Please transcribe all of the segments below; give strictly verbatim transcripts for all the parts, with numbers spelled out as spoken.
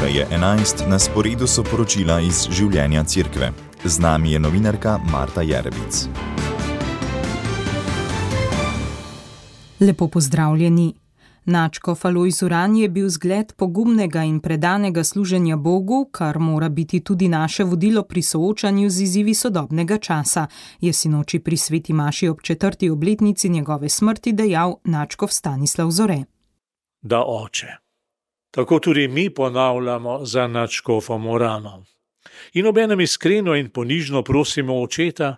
Ura je enajst, na sporedu so poročila iz življenja Cerkve. Z nami je novinarka Marta Jerebic. Lepo pozdravljeni. Nadškof Alojz Uran je bil zgled pogumnega in predanega služenja Bogu, kar mora biti tudi naše vodilo pri soočanju z izzivi sodobnega časa, je sinoči pri sveti maši ob četrti obletnici njegove smrti dejal nadškof Stanislav Zore. Da, oče. Tako tudi mi ponavljamo za nadškofom Uranom. In obenem iskreno in ponižno prosimo očeta,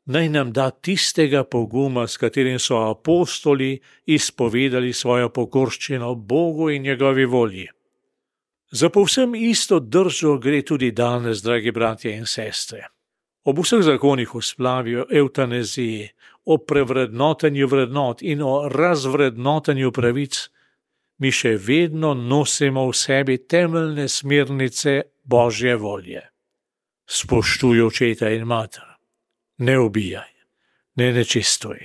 naj nam da tistega poguma, s katerim so apostoli izpovedali svojo pokorščino Bogu in njegovi volji. Za povsem isto držo gre tudi danes, dragi bratje in sestre. Ob vseh zakonih o splavi, o evtanaziji, o prevrednotenju vrednot in o razvrednotenju pravic, mi še vedno nosimo v sebi temeljne smernice Božje volje. Spoštuj očeta in mater. Ne ubijaj, ne nečistuj,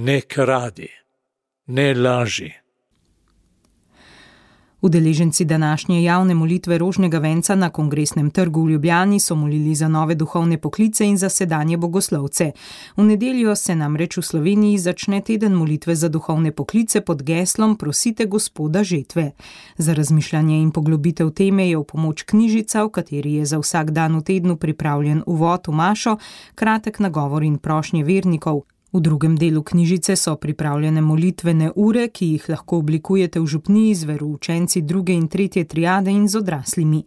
ne kradi, ne laži. Udeleženci današnje javne molitve rožnega venca na Kongresnem trgu v Ljubljani so molili za nove duhovne poklice in za sedanje bogoslovce. V nedeljo se namreč v Sloveniji začne teden molitve za duhovne poklice pod geslom Prosite Gospoda žetve. Za razmišljanje in poglobitev teme je v pomoč knjižica, v kateri je za vsak dan v tednu pripravljen uvod v mašo, kratek nagovor in prošnje vernikov. V drugem delu knjižice so pripravljene molitvene ure, ki jih lahko oblikujete v župniji z veroučenci druge in tretje triade in z odraslimi.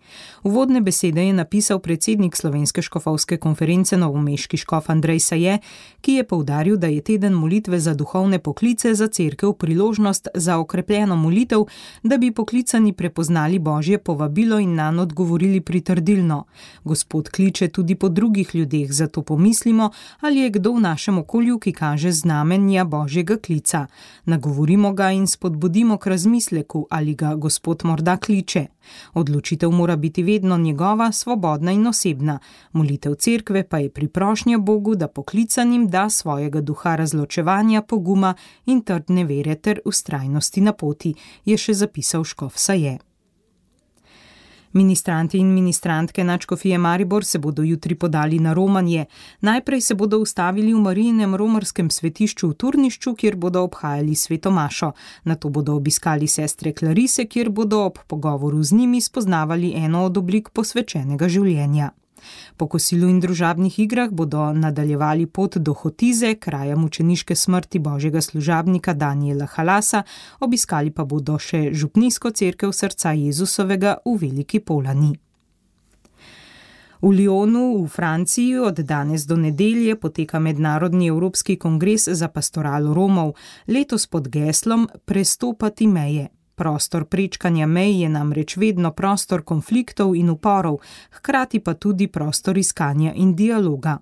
Uvodne besede je napisal predsednik Slovenske škofovske konference novomeški škof Andrej Saje, ki je poudaril, da je teden molitve za duhovne poklice za cerkev priložnost za okrepljeno molitev, da bi poklicani prepoznali Božje povabilo in nanj odgovorili pritrdilno. Gospod kliče tudi po drugih ljudeh, zato pomislimo, ali je kdo v našem okolju, ki kaže znamenja Božjega klica. Nagovorimo ga in spodbudimo k razmisleku, ali ga Gospod morda kliče. Odločitev mora biti vedno njegova, svobodna in osebna. Molitev cerkve pa je priprošnja Bogu, da poklicanim da svojega duha razločevanja, poguma in trdne vere ter vztrajnosti na poti, je še zapisal škof Saje. Ministranti in ministrantke nadškofije Maribor se bodo jutri podali na romanje. Najprej se bodo ustavili v Marijinem romarskem svetišču v Turnišču, kjer bodo obhajali sveto mašo. Nato bodo obiskali sestre Klarise, kjer bodo ob pogovoru z njimi spoznavali eno od oblik posvečenega življenja. Po kosilu in družabnih igrah bodo nadaljevali pot do Hotize, kraja mučeniške smrti Božjega služabnika Danijela Halasa, obiskali pa bodo še župnijsko cerkev srca Jezusovega v Veliki Polani. V Lyonu v Franciji od danes do nedelje poteka mednarodni evropski kongres za pastoralo Romov, letos pod geslom Prestopati meje. Prostor prečkanja mej je namreč vedno prostor konfliktov in uporov, hkrati pa tudi prostor iskanja in dialoga.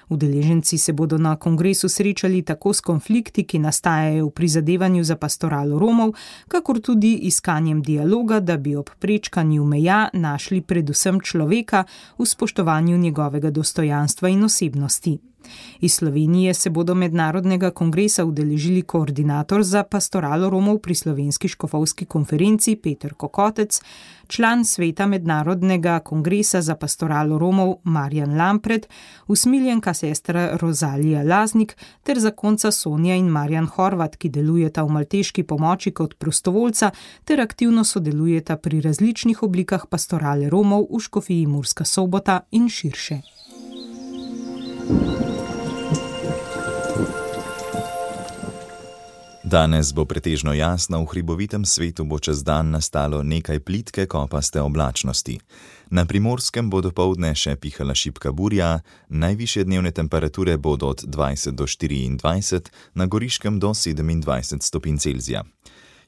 Udeleženci se bodo na kongresu srečali tako s konflikti, ki nastajajo v prizadevanju za pastoralo Romov, kakor tudi iskanjem dialoga, da bi ob prečkanju meja našli predvsem človeka v spoštovanju njegovega dostojanstva in osebnosti. Iz Slovenije se bodo mednarodnega kongresa udeležili koordinator za pastoralo Romov pri Slovenski škofovski konferenci Peter Kokotec, član sveta mednarodnega kongresa za pastoralo Romov Marjan Lampret, usmiljenka sestra Rozalija Laznik ter zakonca Sonja in Marjan Horvat, ki delujeta v malteški pomoči kot prostovoljca ter aktivno sodelujeta pri različnih oblikah pastorale Romov v škofiji Murska Sobota in širše. Danes bo pretežno jasno, v hribovitem svetu bo čez dan nastalo nekaj plitke kopaste oblačnosti. Na Primorskem bo dopoldne še pihala šibka burja, najvišje dnevne temperature bodo od dvajset do štiriindvajset, na Goriškem do sedemindvajset stopinj Celzija.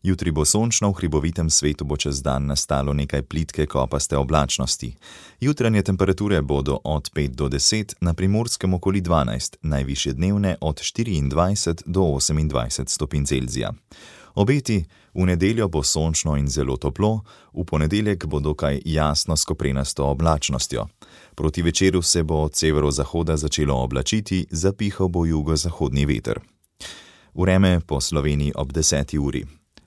Jutri bo sončno, v hribovitem svetu bo čez dan nastalo nekaj plitke kopaste oblačnosti. Jutranje temperature bodo od pet do deset, na Primorskem okoli dvanajst, najvišje dnevne od štiriindvajset do osemindvajset stopinj Celzija. Obeti: v nedeljo bo sončno in zelo toplo, v ponedeljek bo dokaj jasno s koprenasto oblačnostjo. Proti večeru se bo od severozahoda začelo oblačiti, zapihal bo jugozahodni veter. Vreme po Sloveniji ob deseti uri.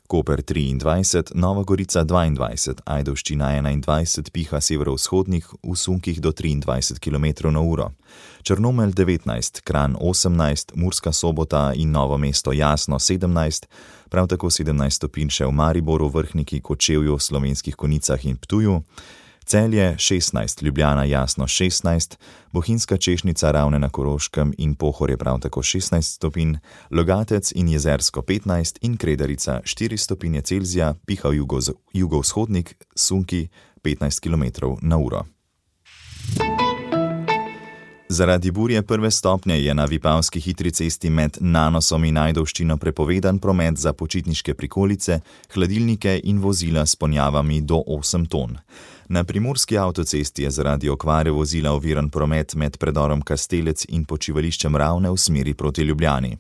Koper triindvajset, Nova Gorica dvaindvajset, Ajdovščina enaindvajset, piha severovzhodnih v sunkih do triindvajset kilometrov na uro. Črnomelj devetnajst, Kranj osemnajst, Murska Sobota in Novo mesto Jasno sedemnajst, prav tako sedemnajst stopinj še v Mariboru, Vrhniki, Kočevju, Slovenskih Konjicah in Ptuju. Celje šestnajst, Ljubljana Jasno šestnajst, Bohinjska Češnica, Ravne na Koroškem in Pohorje prav tako šestnajst stopinj, Logatec in Jezersko petnajst in Kredarica štiri stopinje Celzija, piha jugo, jugovzhodnik, sunki petnajst kilometrov na uro. Zaradi burje prve stopnje je na Vipavski hitri cesti med Nanosom in Ajdovščino prepovedan promet za počitniške prikolice, hladilnike in vozila s ponjavami do osem ton. Na primorski avtocesti je zaradi okvare vozila oviran promet med predorom Kastelec in počivališčem Ravne v smeri proti Ljubljani.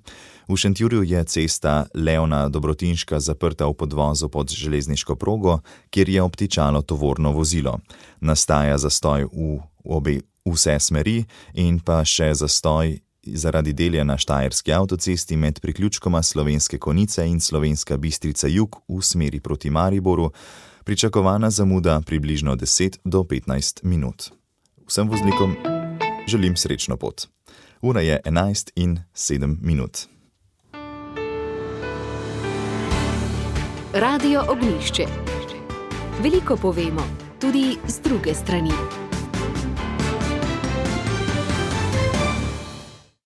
V Šentjurju je cesta Leona Dobrotinška zaprta v podvozu pod železniško progo, kjer je obtičalo tovorno vozilo. Nastaja zastoj v obe vse smeri in pa še zastoj zaradi delja na Štajerski avtocesti med priključkoma Slovenske Konjice in Slovenska Bistrica jug v smeri proti Mariboru, pričakovana zamuda približno deset do petnajst minut. Vsem voznikom želim srečno pot. Ura je enajst in sedem minut. Radio Ognjišče. Veliko povemo, tudi z druge strani.